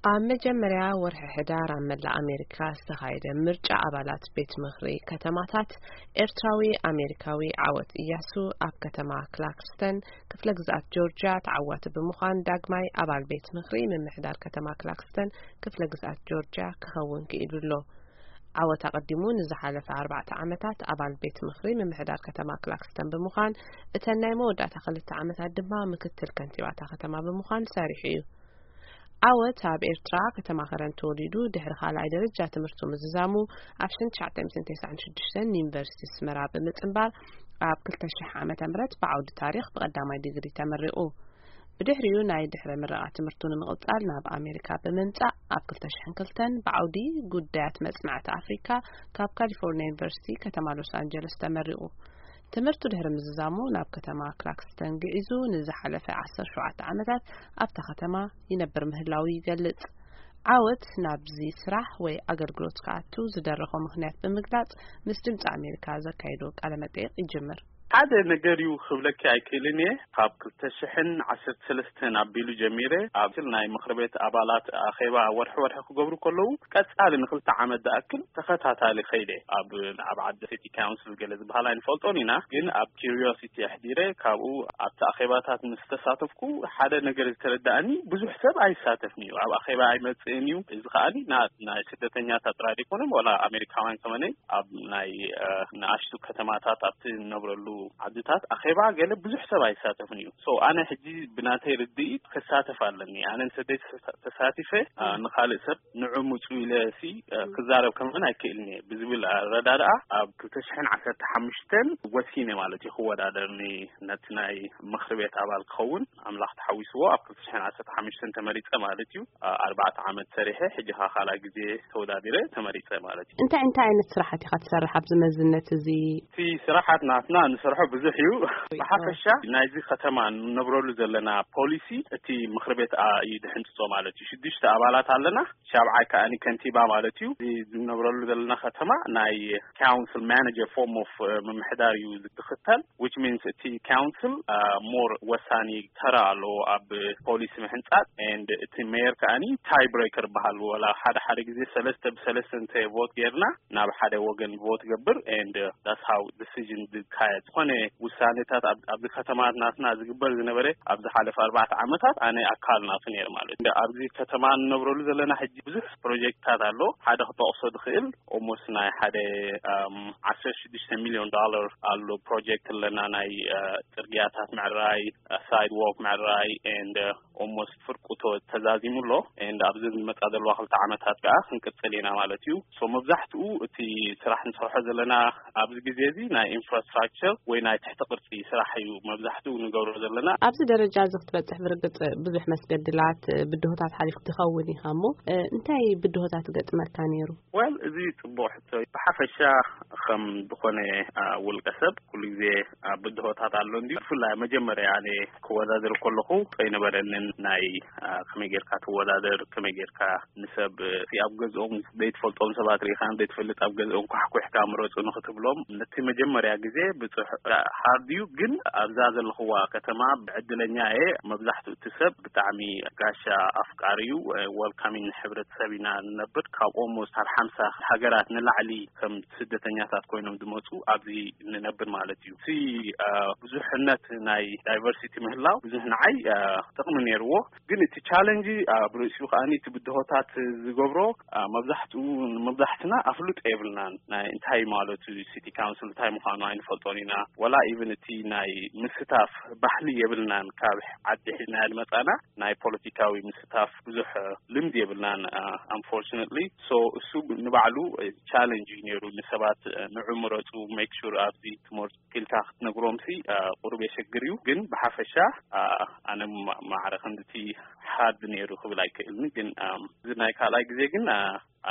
ኣብ መጀመርያ ወርሒ ሕዳር ኣብ መላእ ኣሜሪካ ዝተኻየደ ምርጫ ኣባላት ቤት ምኽሪ ከተማታት፣ ኤርትራዊ ኣሜሪካዊ ዓወት እያሱ ኣብ ከተማ ክላክስተን ክፍለ ግዝኣት ጆርጅያ ተዓዋቲ ብምዃን፣ ዳግማይ ኣባል ቤት ምኽሪ ምምሕዳር ከተማ ክላክስተን ክፍለ ግዝኣት ጆርጅያ ክኸውን ክኢሉ ኣሎ። ዓወት ኣቐዲሙ ንዝሓለፈ ኣርባዕተ ዓመታት ኣባል ቤት ምኽሪ ምምሕዳር ከተማ ክላክስተን ብምዃን፣ እተን ናይ መወዳእታ ክልተ ዓመታት ድማ ምክትል ከንቲባታ ከተማ ብምዃን ሰሪሑ እዩ። ዓወት ኣብ ኤርትራ ከተማ ከረን ተወሊዱ፣ ድሕሪ ካልኣይ ደረጃ ትምህርቱ ምዝዛሙ ኣብ ሽሕን ትሽዓተ ሚእትን ተስዓን ሽዱሽተን ንዩኒቨርሲቲ ኣስመራ ብምጽንባር፣ ኣብ ክልተ ሽሕ ዓመተ ምህረት ብዓውዲ ታሪኽ ብቐዳማይ ዲግሪ ተመሪቑ። ብድሕሪኡ ናይ ድሕረ ምረቓ ትምህርቱ ንምቕጻል ናብ ኣሜሪካ ብምምጻእ፣ ኣብ ክልተ ሽሕን ክልተን ብዓውዲ ጉዳያት መጽናዕቲ ኣፍሪካ ካብ ካሊፎርኒያ ዩኒቨርሲቲ ከተማ ሎስ ኣንጀለስ ተመሪቑ። ትምህርቱ ድሕሪ ምዝዛሙ ናብ ከተማ ክላክስተን ግዒዙ ንዝሓለፈ ዓሰርተ ሸውዓተ ዓመታት ኣብታ ከተማ ይነብር ምህላዉ ይገልጽ። ዓወት ናብዚ ስራሕ ወይ ኣገልግሎት ክኣቱ ዝደረኾ ምኽንያት ብምግላጽ፣ ምስ ድምጺ ኣሜሪካ ዘካየዶ ቃለ መጠይቕ ይጅምር። ሓደ ነገር እዩ ክብለኪ ኣይክእልን እየ። ካብ ክልተ ሽሕን ዓሰርተ ሰለስተን ኣቢሉ ጀሚረ ኣብ ናይ ምኽሪ ቤት ኣባላት ኣኼባ ወርሒ ወርሒ ክገብሩ ከለዉ፣ ቀጻሊ ንክልተ ዓመት ዝኣክል ተኸታታሊ ከይደ ኣብ፣ ኣብ ዓዲ ሲቲ ካውንስል ገለ ዝበሃል ኣይንፈልጦን ኢና፣ ግን ኣብ ኪሪዮሲቲ ኣሕዲረ ካብኡ ኣብቲ ኣኼባታት ምስ ተሳተፍኩ ሓደ ነገር ዝተረዳእኒ፣ ብዙሕ ሰብ ኣይሳተፍን እዩ፣ ኣብ ኣኼባ ኣይመጽእን እዩ። እዚ ከኣኒ ና-፣ ናይ ስደተኛታት ጥራይ ዘይኮነ፣ ወላ ኣሜሪካውያን ከመነይ ኣብ ናይ፣ እ፣ ንኣሽቱ ከተማታት ኣብቲ እንነብረሉ ዓድታት ኣኼባ ገለ ብዙሕ ሰብ ኣይሳተፍን እዩ። So ኣነ ሕጂ ብናተይ ርድኢት ክሳተፍ ኣለኒ። ኣነ እንተዘይ ተሳ-፣ ተሳቲፈ፣ እ፣ ንኻልእ ሰብ ንዑ ምጹ ኢለ ሲ፣ እ፣ ክዛረብ ከመን ኣይክእልን እየ ብዝብል ኣረዳድኣ ኣብ ክልተ ሽሕን ዓሰርተ ሓሙሽተን ወሲነ ማለት እዩ ክወዳደር ኒ-፣ ነቲ ናይ ምኽሪ ቤት ኣባል ክኸውን ኣምላኽ ተሓዊስዎ ኣብ ክልተ ሽሕን ዓሰርተ ሓሙሽተን ተመሪጸ ማለት እዩ። እ፣ ኣርባዕተ ዓመት ሰሪሐ ሕጂ ኸኣ ካልኣይ ግዜ ተወዳዲረ ተመሪጸ ማለት እዩ። እንታይ እንታይ ዓይነት ስራሓት ኢኻ ትሰርሕ ኣብዚ መዝነት እዚ? እቲ ስራሓት ናትና ንሰርሖ ብዙሕ እዩ። ብሓፈሻ ናይዚ ከተማ ንነብረሉ ዘለና ፖሊሲ እቲ ምኽሪ ቤት ኣ-፣ እዩ ድሕንጽጾ ማለት እዩ። ሽዱሽተ ኣባላት ኣለና፣ ሻብዓይ ከኣኒ ከንቲባ ማለት እዩ። እዚ ዝነብረሉ ዘለና ከተማ ናይ ካውንስል ማኔጀር ፎርም ኦፍ፣ እ፣ ምምሕዳር እዩ ዝኽተል፣ which means እቲ ካውንስል፣ እ፣ ሞር ወሳኒ ተራ ኣለዎ ኣብ ፖሊሲ ምሕንጻጽ፣ and እቲ ሜየር ከኣኒ ታይ ብሬከር ይበሃል። ወላ ሓደ ሓደ ግዜ ሰለስተ ብሰለስተ እንተ ቮት ጌርና ናብ ሓደ ወገን ቮት ገብር፣ and that's how decision ዝካየድ። ዝኾነ ውሳኔታት ኣብ፣ ኣብዚ ከተማ ናትና ዝግበር ዝነበረ ኣብ ዝሓለፈ ኣርባዕተ ዓመታት ኣነ ኣካል ናቱ ነይር ማለት። እንደ ኣብዚ ከተማ እንነብረሉ ዘለና ሕጂ ብዙሕ ፕሮጀክትታት ኣሎ። ሓደ ክጠቕሶ ዝኽእል ኦሞስ ናይ ሓደ፣ ኣም፣ ዓሰርተ ሽዱሽተ ሚልዮን ዶላር ኣሎ ፕሮጀክት ኣለና ናይ፣ እ፣ ጽርግያታት ምዕራይ፣ እ፣ ሳይድ ዎክ ምዕራይ፣ and፣ እ፣ ኦሞስት ፍርቁቶ ተዛዚሙ ኣሎ። And ኣብዚ ዝመጻ ዘለዋ ክልተ ዓመታት ከኣ ክንቅጽል ኢና ማለት እዩ። So መብዛሕትኡ እቲ ስራሕ ንሰርሖ ዘለና ኣብዚ ግዜ እዚ ናይ ኢንፍራስትራክቸር ወይ ናይ ትሕቲ ቅርጺ ስራሕ እዩ መብዛሕትኡ ንገብሮ ዘለና። ኣብዚ ደረጃ እዚ ክትበጽሕ ብርግጽ ብዙሕ መስገድላት፣ ብድሆታት ሓሊፍ ትኸውን ኢኻ እሞ፣ እ፣ እንታይ ብድሆታት ገጥመካ ነይሩ? Well፣ እዚ ጽቡቕ ሕቶ እዩ። ብሓፈሻ ከም ዝኾነ፣ አ፣ ውልቀ ሰብ ኩሉ ግዜ፣ አ፣ ብድሆታት ኣሎ እንድዩ። ብፍላይ መጀመርያ ኣነ ክወዳደር ከለኹ ኣይነበረንን ናይ፣ አ፣ ከመይ ጌርካ ትወዳደር፣ ከመይ ጌርካ ንሰብ፣ እ፣ ኣብ ገዝኦም ዘይትፈልጦም ሰባት ርኢኻን ዘይትፈልጥ ኣብ ገዝኦም ኳሕኩሕካ ምረጹ ንኽትብሎም፣ ነቲ መጀመርያ ግዜ ብጽሕ-፣ ሃርድ እዩ። ግን ኣብዛ ዘለኽዋ ከተማ ብዕድለኛ እየ። መብዛሕትኡ እቲ ሰብ ብጣዕሚ ጋሻ ኣፍቃሪ እዩ፣ እ፣ ወልካሚን ሕብረተሰብ ኢና ንነብር። ካብ ኦልሞስት ኣብ ሓምሳ ሃገራት ንላዕሊ ከም ስደተኛታት ኮይኖም ዝመጹ ኣብዚ ንነብር ማለት እዩ። እቲ፣ እ፣ ብዙሕነት ናይ ዳይቨርሲቲ ምህላው ብዙሕ ንዓይ፣ እ፣ ጥቕሚ ነይርዎ። ግን እቲ ቻለንጅ ኣብ ርእሲኡ ከኣ እቲ ብድሆታት ዝገብሮ፣ አ፣ መብዛሕትኡ፣ መብዛሕትና ኣፍልጦ የብልናን። ናይ እንታይ ማለቱ ሲቲ ካውንስል እንታይ ምዃኑ ኣይንፈልጦን ኢና። ወላ ኢቭን እቲ ናይ ምስታፍ ባህሊ የብልናን። ካብ ዓዲ ሒዝና ዝመጻና ናይ ፖለቲካዊ ምስታፍ ብዙሕ ልምዲ የብልናን፣ አ፣ ኣንፎርቹነትሊ። ሶ እሱ ንባዕሉ ቻለንጅ እዩ ነይሩ ንሰባት፣ አ፣ ንዑ ምረጹ፣ ሜክ ሹር ኣብዚ ትምህርቲ ኢልካ ክትነግሮምሲ፣ አ፣ ቁሩብ የሸግር እዩ። ግን ብሓፈሻ፣ አ፣ ኣነ ማ-፣ ማዕረ ክንድቲ ሃርድ ነይሩ ክብል ኣይክእልን። ግን፣ ኣም፣ እዚ ናይ ካልኣይ ግዜ ግን፣ አ፣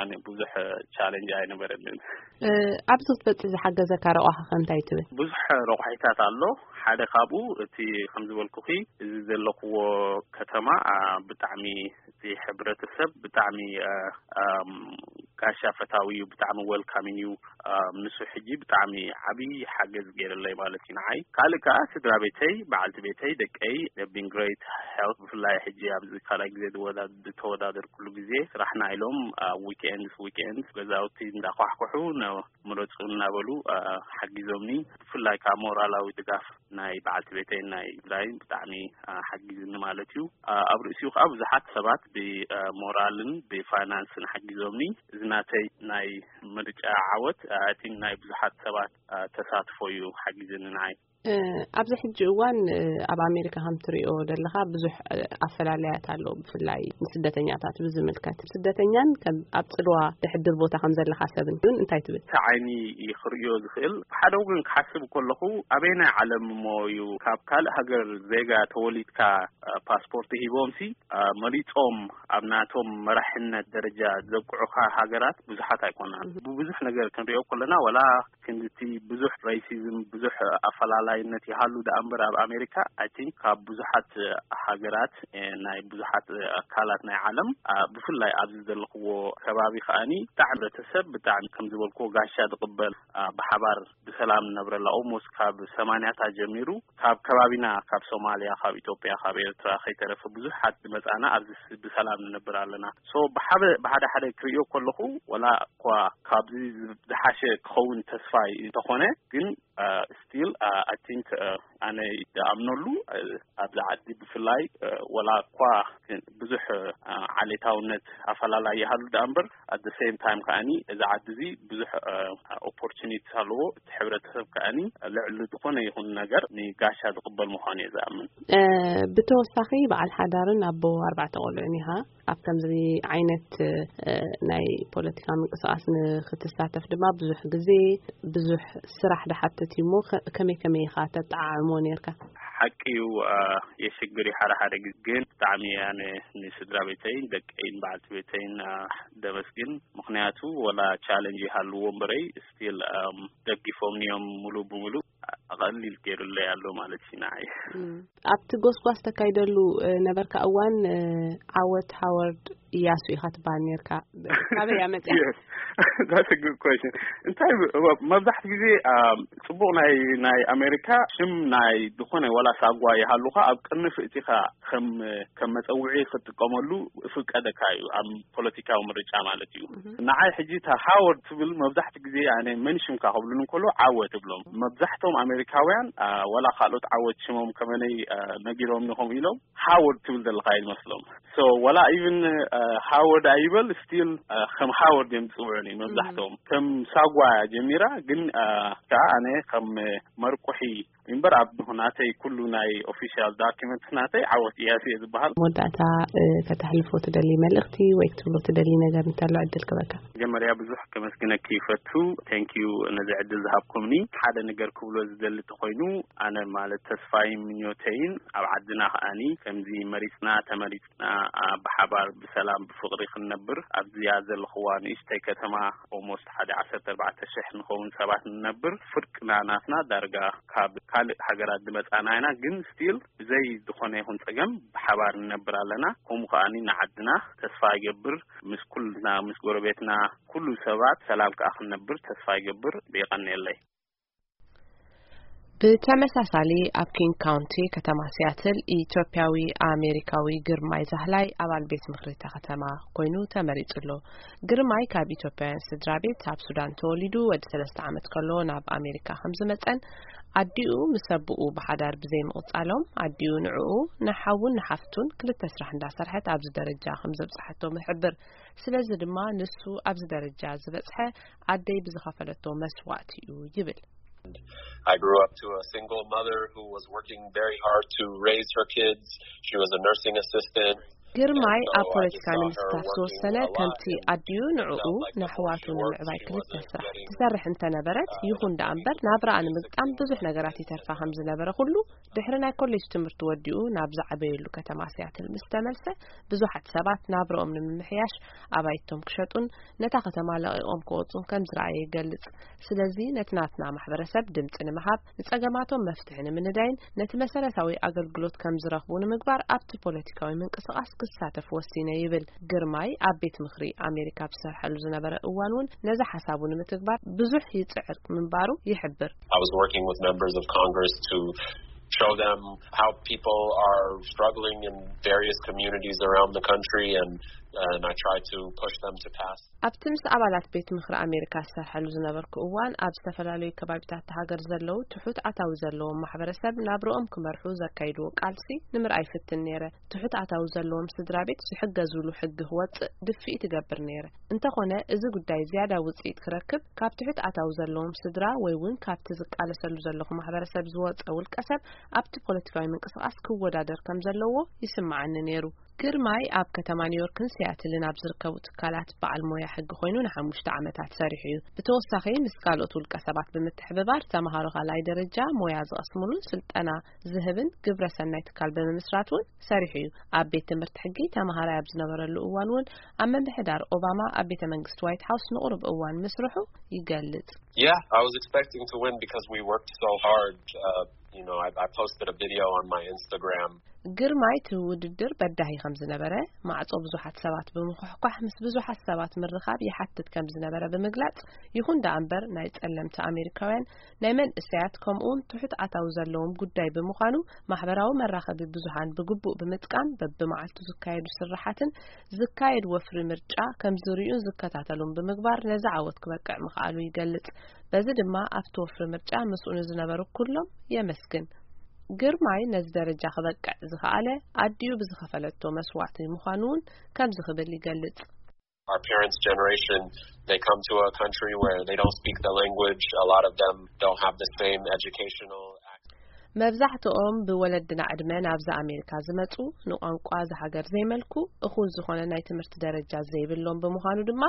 ኣነ ብዙሕ ቻለንጅ ኣይነበረንን። እ፣ ኣብዚ ክትበጽሕ ዝሓገዘካ ረቋሒ ከ እንታይ ትብል? ብዙሕ ረቋሒታት ኣሎ። ሓደ ካብኡ እቲ ከም ዝበልኩኺ፣ እዚ ዘለኽዎ ከተማ፣ አ፣ ብጣዕሚ እቲ ሕብረተሰብ ብጣዕሚ፣ አ፣ ኣም፣ ጋሻ ፈታዊ እዩ፣ ብጣዕሚ ዌልካሚንግ እዩ። ምስ ሕጂ ብጣዕሚ ዓብዪ ሓገዝ ገይርለይ ማለት እዩ ንዓይ። ካልእ ከዓ ስድራ ቤተይ፣ በዓልቲ ቤተይ፣ ደቀይ፣ they've been great help። ብፍላይ ሕጂ ኣብዚ ካልኣይ ግዜ ዝወዳደርኩሉ ግዜ ስራሕና ኢሎም ኣብ ዊክኤንድስ ዊክኤንድስ ገዛውቲ እንዳኳሕኩሑ ምረፁ እናበሉ ሓጊዞምኒ። ብፍላይ ከዓ ሞራላዊ ድጋፍ ናይ በዓልቲ ቤተይ ናይ ብላይን ብጣዕሚ ሓጊዝኒ ማለት እዩ። ኣብ ርእሲኡ ከዓ ብዙሓት ሰባት ብሞራልን ብፋይናንስን ሓጊዞምኒ። እዚ ናተይ ናይ ምርጫ ዓወት ኣቲን ናይ ብዙሓት ሰባት ተሳትፎ እዩ ሓጊዝኒ ንዓይ። ኣብዚ ሕጂ እዋን ኣብ ኣሜሪካ ከም ትሪኦ ዘለኻ ብዙሕ ኣፈላለያት ኣሎ። ብፍላይ ንስደተኛታት ብዝምልከት፣ ስደተኛን ኣብ ፅልዋ ዝሕድር ቦታ ከም ዘለኻ ሰብን እውን እንታይ ትብል? እቲ ዓይኒ ክርእዮ ዝኽእል ሓደ ወገን ክሓስብ ከለኹ ኣበየናይ ዓለም እሞ እዩ ካብ ካልእ ሃገር ዜጋ ተወሊድካ ፓስፖርት ሂቦምሲ መሪጾም ኣብ ናቶም መራሕነት ደረጃ ዘብቅዑኻ ሃገራት ብዙሓት ኣይኮናን። ብብዙሕ ነገር ክንሪኦ ከለና ዋላ ክንድቲ ብዙሕ ሬሲዝም ብዙሕ ኣፈላላይነት ይሃሉ ደኣ እምበር ኣብ ኣሜሪካ ኣይ ቲንክ ካብ ብዙሓት ሃገራት ናይ ብዙሓት ኣካላት ናይ ዓለም ብፍላይ ኣብዚ ዘለኽዎ ከባቢ ከኣኒ ብጣዕሚ ሕብረተሰብ ብጣዕሚ ከም ዝበልክዎ ጋሻ ዝቕበል ብሓባር ብሰላም ንነብረላ ኦልሞስት ካብ ሰማንያታት ጀሚሩ ካብ ከባቢና ካብ ሶማልያ ካብ ኢትዮጵያ ካብ ኤርትራ ከይተረፈ ብዙሓት ዝመጻና ኣብዚ ብሰላም ንነብር ኣለና። ሶ ብሓደ ብሓደ ሓደ ክርእዮ ከለኹ ወላ እኳ ካብዚ ዝሓሸ ክኸውን ተስፋ እንተኾነ ግን ስቲል ኣይ ቲንክ ኣነ ዝኣምነሉ ኣብዚ ዓዲ ብፍላይ ወላ እኳ ብዙሕ ዓሌታውነት ኣፈላላይ ይሃሉ ደኣ እምበር ኣት ሴም ታይም ከኣኒ እዚ ዓዲ እዚ ብዙሕ ኦፖርቹኒቲ ኣለዎ። እቲ ሕብረተሰብ ከኣኒ ልዕሊ ዝኾነ ይኹን ነገር ንጋሻ ዝቕበል ምዃኑ እየ ዝኣምን። ብተወሳኺ በዓል ሓዳርን ኣቦ ኣርባዕተ ቆልዑን ኢኻ። ኣብ ከምዚ ዓይነት ናይ ፖለቲካ ምንቅስቃስ ንክትሳተፍ ድማ ብዙሕ ግዜ ብዙሕ ስራሕ ድሓትት እዩ እሞ ከመይ ከመይ ኢኻ ተጠዓዕሞ ነርካ? ሓቂ እዩ። የሽግር እዩ ሓደ ሓደ ግዜ ግን ብጣዕሚ ኣነ ንስድራ ቤተይን ደቀይን በዓልቲ ቤተይን ደመስግን። ምክንያቱ ወላ ቻለንጅ ይሃልዎ እምበረይ ስቲል ደጊፎምኒ እዮም ሙሉ ብሙሉ። ቀሊል ገይሩለይ ኣሎ ማለት እዩ ንዓይ። ኣብቲ ጎስጓስ ተካይደሉ ነበርካ እዋን ዓወት ሃወርድ እያሱ ኢኻ ትበሃል ነርካ። ካበይ እያ መፅያ? That's a good question። እንታይ መብዛሕቲ ግዜ ፅቡቕ ናይ ናይ ኣሜሪካ ሽም ናይ ዝኾነ ዋላ ሳጓ ይሃሉኻ ኣብ ቅንፍ እቲኻ ከም ከም መፀውዒ ክትጥቀመሉ ፍቀደካ እዩ ኣብ ፖለቲካዊ ምርጫ ማለት እዩ። ንዓይ ሕጂ እታ ሃወርድ ትብል መብዛሕቲ ግዜ ኣነ መን ሽምካ ክብሉን እንከሎ ዓወት እብሎም። መብዛሕቶም ኣሜሪካውያን ዋላ ካልኦት ዓወት ሽሞም ከመነይ ነጊሮም ኢኹም ኢሎም ሃወርድ ትብል ዘለካ ይመስሎም። ሶ ዋላ ኢቭን ሃወርድ ኣይበል ስቲል ከም ሃወርድ እዮም ዝፅውዑኒ መብዛሕቶም ከም ሳጓ ጀሚራ ግን ከዓ ኣነ ከም መርቁሒ እምበር ኣብ ናተይ ኩሉ ናይ ኦፊሻል ዳኪመንት ናተይ ዓወት እያሱ እየ ዝበሃል። መወዳእታ ከተሕልፎ ትደሊ መልእኽቲ ወይ ክትብሎ ትደሊ ነገር እንተሎ ዕድል ክበካ። መጀመርያ ብዙሕ ከመስግነኪ ይፈቱ። ቴንኪዩ ነዚ ዕድል ዝሃብኩምኒ። ሓደ ነገር ክብሎ ዝደሊ ተኮይኑ ኣነ ማለት ተስፋይን ምኞተይን ኣብ ዓድና ከኣኒ ከምዚ መሪፅና ተመሪፅና ብሓባር ብሰላም ብፍቕሪ ክንነብር ኣብዚኣ ዘለኽዋ ንእሽተይ ከተማ ኦልሞስት ሓደ ዓሰርተ ኣርባዕተ ሽሕ ንኸውን ሰባት ንነብር ፍርቅና ናትና ዳርጋ ካብ ካልእ ሃገራት ዝመጻና ኢና ግን ስቲል ብዘይ ዝኾነ ይኹን ጸገም ብሓባር ንነብር ኣለና። ከምኡ ከኣኒ ንዓድና ተስፋ ይገብር ምስ ኩልና ምስ ጎረቤትና ኩሉ ሰባት ሰላም ከኣ ክንነብር ተስፋ ይገብር። ብየቐንየለይ። ብተመሳሳሊ ኣብ ኪንግ ካውንቲ ከተማ ሲያትል ኢትዮጵያዊ ኣሜሪካዊ ግርማይ ዛህላይ ኣባል ቤት ምኽሪ እታ ከተማ ኮይኑ ተመሪጹ ኣሎ። ግርማይ ካብ ኢትዮጵያውያን ስድራ ቤት ኣብ ሱዳን ተወሊዱ ወዲ ሰለስተ ዓመት ከሎ ናብ ኣሜሪካ ከም ዝመጸን ኣዲኡ ምስ ኣቦኡ ብሓዳር ብዘይ ምቕጻሎም ኣዲኡ ንዕኡ ንሓውን ንሓፍቱን ክልተ ስራሕ እንዳሰርሐት ኣብዚ ደረጃ ከም ዘብጽሓቶም ይሕብር። ስለዚ ድማ ንሱ ኣብዚ ደረጃ ዝበጽሐ ኣደይ ብዝኸፈለቶ መስዋእቲ እዩ ይብል። I grew up to a single mother who was working very hard to raise her kids. She was a nursing assistant. ግርማይ ኣብ ፖለቲካ ንምስታፍ ዝወሰነ ከምቲ ኣዲኡ ንዕኡ ንኣሕዋቱ ንምዕባይ ክልተ ስራሕ ትሰርሕ እንተነበረት፣ ይኹን ደኣ እምበር ናብራኣ ንምግጣም ብዙሕ ነገራት ይተርፋ ከም ዝነበረ ኩሉ ድሕሪ ናይ ኮሌጅ ትምህርቲ ወዲኡ ናብ ዝዓበየሉ ከተማ ሲያትል ምስ ተመልሰ፣ ብዙሓት ሰባት ናብርኦም ንምምሕያሽ ኣባይቶም ክሸጡን ነታ ከተማ ለቒቖም ክወጹን ከም ዝረኣየ ይገልጽ። ስለዚ ነቲ ናትና ማሕበረሰብ ድምጺ ንምሃብ፣ ንጸገማቶም መፍትሒ ንምንዳይን ነቲ መሰረታዊ ኣገልግሎት ከም ዝረኽቡ ንምግባር ኣብቲ ፖለቲካዊ ምንቅስቓስ ክሳተፍ ወሲነ ይብል። ግርማይ ኣብ ቤት ምኽሪ ኣሜሪካ ኣብ ዝሰርሐሉ ዝነበረ እዋን እውን ነዚ ሓሳቡ ንምትግባር ብዙሕ ይጽዕር ምንባሩ ይሕብር። I was working with members of Congress to show them how people are struggling in various communities around the country, and and I try to push them to pass. ኣብቲ ምስ ኣባላት ቤት ምኽሪ ኣሜሪካ ዝሰርሐሉ ዝነበርኩ እዋን፣ ኣብ ዝተፈላለዩ ከባቢታት ሃገር ዘለዉ ትሑት ኣታዊ ዘለዎም ማሕበረሰብ ናብርኦም ክመርሑ ዘካይድዎ ቃልሲ ንምርኣይ ፍትን ነይረ። ትሑት ኣታዊ ዘለዎም ስድራ ቤት ዝሕገዝሉ ሕጊ ክወጽእ ድፍኢት እገብር ነይረ። እንተኾነ፣ እዚ ጉዳይ ዝያዳ ውጽኢት ክረክብ፣ ካብ ትሑት ኣታዊ ዘለዎም ስድራ ወይ እውን ካብቲ ዝቃለሰሉ ዘለኹ ማሕበረሰብ ዝወጸ ውልቀ ሰብ ኣብቲ ፖለቲካዊ ምንቅስቓስ ክወዳደር ከም ዘለዎ ይስምዓኒ ነይሩ። ግርማይ ኣብ ከተማ ኒውዮርክን ሲያትልን ኣብ ዝርከቡ ትካላት በዓል ሞያ ሕጊ ኮይኑ ንሓሙሽተ ዓመታት ሰሪሑ እዩ። ብተወሳኺ፣ ምስ ካልኦት ውልቀ ሰባት ብምትሕብባር፣ ተምሃሮ ካልኣይ ደረጃ ሞያ ዝቐስምሉን ስልጠና ዝህብን ግብረ ሰናይ ትካል ብምምስራት እውን ሰሪሑ እዩ። ኣብ ቤት ትምህርቲ ሕጊ ተምሃራይ ኣብ ዝነበረሉ እዋን እውን፣ ኣብ ምምሕዳር ኦባማ ኣብ ቤተ መንግስቲ ዋይት ሃውስ ንቑሩብ እዋን ምስርሑ ይገልጽ። Yeah, I was expecting to win because we worked so hard. Uh, you know, I, I posted a video on my Instagram. ግርማይ እቲ ውድድር በዳሂ ከም ዝነበረ፣ ማዕጾ ብዙሓት ሰባት ብምኹሕኳሕ ምስ ብዙሓት ሰባት ምርኻብ ይሓትት ከም ዝነበረ ብምግላጽ፣ ይኹን ደኣ እምበር፣ ናይ ጸለምቲ ኣሜሪካውያን፣ ናይ መንእሰያት፣ ከምኡውን ትሑት ኣታዊ ዘለዎም ጉዳይ ብምዃኑ፣ ማሕበራዊ መራኸቢ ብዙሃን ብግቡእ ብምጥቃም፣ በብመዓልቱ ዝካየዱ ስርሓትን ዝካየድ ወፍሪ ምርጫ ከም ዝርእዩን ዝከታተሉን ብምግባር፣ ነዚ ዓወት ክበቅዕ ምኽኣሉ ይገልጽ። በዚ ድማ ኣብቲ ወፍሪ ምርጫ ምስኡ ንዝነበሩ ኩሎም የመስግን። ግርማይ ነዚ ደረጃ ክበቅዕ ዝኸኣለ ኣዲኡ ብዝኸፈለቶ መስዋእቲ ምዃኑ እውን ከምዚ ክብል ይገልጽ። Our parents' generation, they come to a country where they don't speak the language. A lot of them don't have the same educational access. መብዛሕትኦም ብወለድና ዕድመ ናብዛ ኣሜሪካ ዝመጹ፣ ንቋንቋ እዛ ሃገር ዘይመልኩ፣ እኹል ዝኾነ ናይ ትምህርቲ ደረጃ ዘይብሎም ብምዃኑ ድማ፣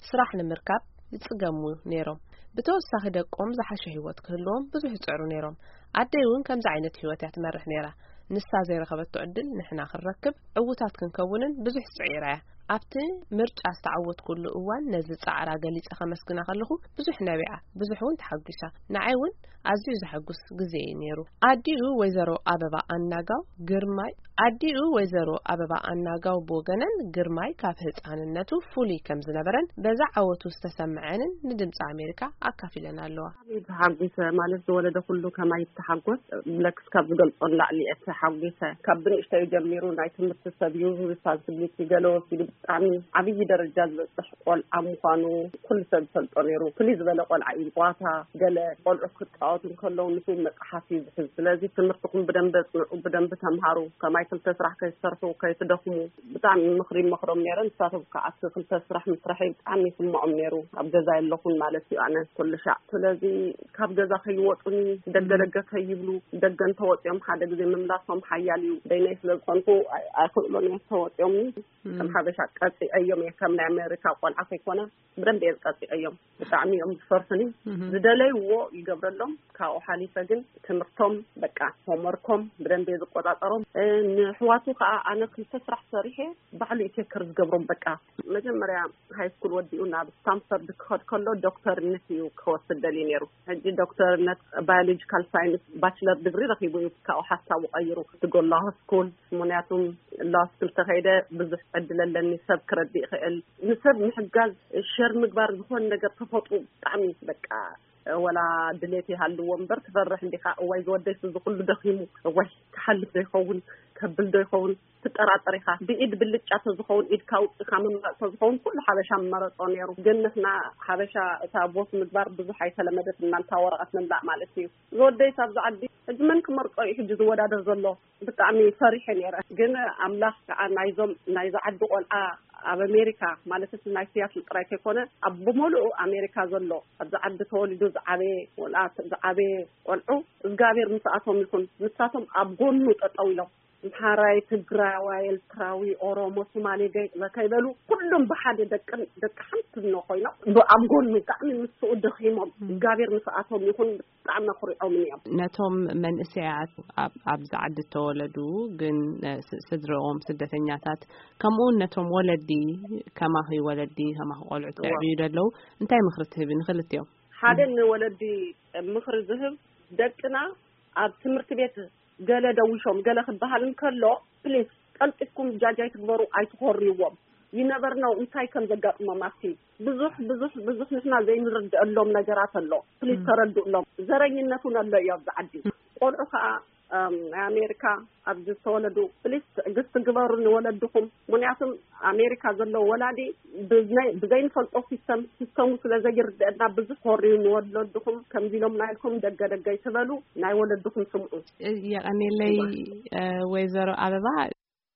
ስራሕ ንምርካብ ይጽገሙ ነይሮም። ብተወሳኺ፣ ደቆም ዝሓሸ ህይወት ክህልዎም ብዙሕ ይጽዕሩ ነይሮም። ኣደይ እውን ከምዚ ዓይነት ህይወት እያ ትመርሕ ነይራ። ንሳ ዘይረኸበቶ ዕድል ንሕና ክንረክብ፣ ዕዉታት ክንከውንን ብዙሕ ጽዒራ እያ። ኣብቲ ምርጫ ዝተዓወትኩሉ እዋን፣ ነዚ ጻዕራ ገሊጸ ከመስግና ከለኹ፣ ብዙሕ ነቢዓ፣ ብዙሕ እውን ተሓጒሳ። ንዓይ እውን ኣዝዩ ዘሐጉስ ግዜ እዩ ነይሩ። ኣዲኡ ወይዘሮ ኣበባ ኣናጋው ግርማይ ኣዲኡ ወይዘሮ ኣበባ ኣናጋው ብወገነን፣ ግርማይ ካብ ህጻንነቱ ፍሉይ ከም ዝነበረን በዛ ዓወቱ ዝተሰምዐንን ንድምጺ ኣሜሪካ ኣካፊለን ኣለዋ። ተሓጒሰ ማለት፣ ዝወለደ ኩሉ ከማይ ይተሓጎስ፣ ብለክስ ካብ ዝገልጾ ንላዕሊ እየ ተሓጒሰ። ካብ ብንእሽተዩ ጀሚሩ ናይ ትምህርቲ ሰብ እዩ፣ ሪስፖንሲቢሊቲ ገለ ወሲዱ፣ ብጣዕሚ ዓብዪ ደረጃ ዝበጽሕ ቆልዓ ምዃኑ ኩሉ ሰብ ዝፈልጦ ነይሩ። ፍልይ ዝበለ ቆልዓ እዩ። ጨዋታ፣ ገለ ቆልዑ ክጻወቱ እንከለዉ፣ ንሱ መጽሓፍ እዩ ዝሕዝ። ስለዚ፣ ትምህርትኹም ብደንቢ ኣጽንዑ፣ ብደንቢ ተምሃሩ፣ ከማይ ክልተ ስራሕ ከይትሰርሑ፣ ከይትደኽሙ፣ ብጣዕሚ ምኽሪ ይመኽሮም ነይረ። ንሳቶም ከዓ እቲ ክልተ ስራሕ ምስራሐይ ብጣዕሚ ይስምዖም ነይሩ። ኣብ ገዛ የለኹን ማለት እዩ፣ ኣነ ኩሉ ሻዕ። ስለዚ፣ ካብ ገዛ ከይወጡኒ፣ ደገ ደገ ከይብሉ፣ ደገ እንተወፂኦም ሓደ ግዜ ምምላሶም ሓያል እዩ። ደይናይ ስለ ዝኾንኩ፣ ኣይ-፣ ኣይኽእሎን እዮም፣ ተወፂኦምኒ። ከም ሓበሻ ቀፂዐዮም እየ፣ ከም ናይ ኣሜሪካ ቆልዓ ከይኮነ፣ ብደንብ እየ ቀፂዐዮም። ብጣዕሚ እዮም ዝፈርሑኒ። ዝደለይዎ ይገብረሎም። ካብኡ ሓሊፈ ግን ትምህርቶም፣ በቃ፣ ሆምወርኮም ብደንብ እየ ዝቆጻጸሮም። እ፣ ንኣሕዋቱ ከዓ ኣነ ክልተ ስራሕ ሰሪሐ፣ ባዕሉ እዩ ቴከር ዝገብሮም። በቃ፣ መጀመርያ ሃይ ስኩል ወዲኡ ናብ ስታንፈርድ ክኸድ ከሎ፣ ዶክተርነት እዩ ክወስድ ደልዩ ነይሩ። ሕጂ ዶክተርነት ባዮሎጂካል ሳይንስ ባችለር ዲግሪ ረኺቡ እዩ ካብኡ ሓሳቡ ቀይሩ። እቲ ጎ ላው ስኩል፣ ምኽንያቱም ላው ስኩል ተኸይደ ብዙሕ ዕድል ኣለኒ፣ ሰብ ክረድእ ይኽእል፣ ንሰብ ምሕጋዝ፣ ሸር ምግባር፣ ዝኾነ ነገር ተፈጥሩ ብጣዕሚ በቃ፣ ወላ ድሌት ይሃልዎ እምበር ትፈርሕ እንዲኻ። እዋይ ዝወደይ፣ እዚ ኩሉ ደኺሙ፣ እዋይ ክሓልፍ ዶ ይኸውን፣ ከብል ዶ ይኸውን፣ ትጠራጠር ኢኻ። ብኢድ ብልጫ ተዝኸውን፣ ኢድካ ኣውፂእካ ምምራፅ ተዝኸውን፣ ኩሉ ሓበሻ ምመረፆ ነይሩ። ግን ንሕና ሓበሻ እታ ቦት ምግባር ብዙሕ ኣይተለመደትናን፣ እታ ወረቐት ምምላእ ማለት እዩ። ዝወደይስ ኣብዚ ዓዲ ሕጂ መን ክመርጾ እዩ ሕጂ ዝወዳደር ዘሎ? ብጣዕሚ ፈሪሐ ነይረ። ግን ኣምላኽ ከዓ ናይዞም፣ ናይዚ ዓዲ ቆልዓ ኣብ ኣሜሪካ፣ ማለት እቲ ናይ ሲያትል ጥራይ ከይኮነ፣ ኣብ ብምሉኡ ኣሜሪካ ዘሎ፣ ኣብዚ ዓዲ ተወሊዱ ዝዓበየ፣ ወላ ዝዓበየ ቆልዑ፣ እግዚኣብሔር ምስኣቶም ይኹን። ንሳቶም ኣብ ጎኑ ጠጠው ኢሎም፣ ኣምሓራይ፣ ትግራዋይ፣ ኤርትራዊ፣ ኦሮሞ፣ ሶማሌ ገይ-፣ ከይበሉ ኩሎም ብሓደ ደቅን ደቂ ሓንቲ እኖ ኮይኖም ብ-፣ ኣብ ጎኑ ብጣዕሚ ምስኡ ደኺሞም፣ እግዚኣብሔር ምስኣቶም ይኹን፣ ብጣዕሚ ኣኹሪዖምን እዮም። ነቶም መንእሰያት ኣብ፣ ኣብዚ ዓዲ እተወለዱ ግን፣ እ፣ ስ-፣ ስድርኦም ስደተኛታት፣ ከምኡውን ነቶም ወለዲ፣ ከማኺ ወለዲ፣ ከማኺ ቆልዑት እዋ። ከዕብዩ ደለዉ እንታይ ምኽሪ ትህቢ ንኽልቲኦም? ሓደ ንወለዲ ምኽሪ ዝህብ፣ ደቅና ኣብ ትምህርቲ ቤት ገለ ደዊሾም ገለ ክበሃል እንከሎ፣ ፕሊስ ቀልጢፍኩም ጃጃይ ትግበሩ፣ ኣይትኾርይዎም። ይነበር ነው እንታይ ከም ዘጋጥሞም ኣብቲ ብዙሕ፣ ብዙሕ፣ ብዙሕ ንሕና ዘይንርድአሎም ነገራት ኣሎ። ፕሊስ ም። ተረድእሎም። ዘረኝነት እውን ኣሎ እዩ ኣብዚ ዓዲ። ቆልዑ ከዓ፣ እም፣ ናይ ኣሜሪካ ኣብዚ ዝተወለዱ ፕሊስ ትዕግስቲ ግበሩ ንወለድኹም። ምኽንያቱም ኣሜሪካ ዘለዉ ወላዲ ብዝናይ-፣ ብዘይንፈልጦ ሲስተም፣ ሲስተሙ ስለ ዘይርድአና ብዙሕ ኮርዩ ንወለድኹም ከምዚ ኢሎም ናይልኩም ደገ ደገ ይትበሉ፣ ናይ ወለድኹም ስምዑ። የቐኔለይ፣ እ፣ ወይዘሮ ኣበባ።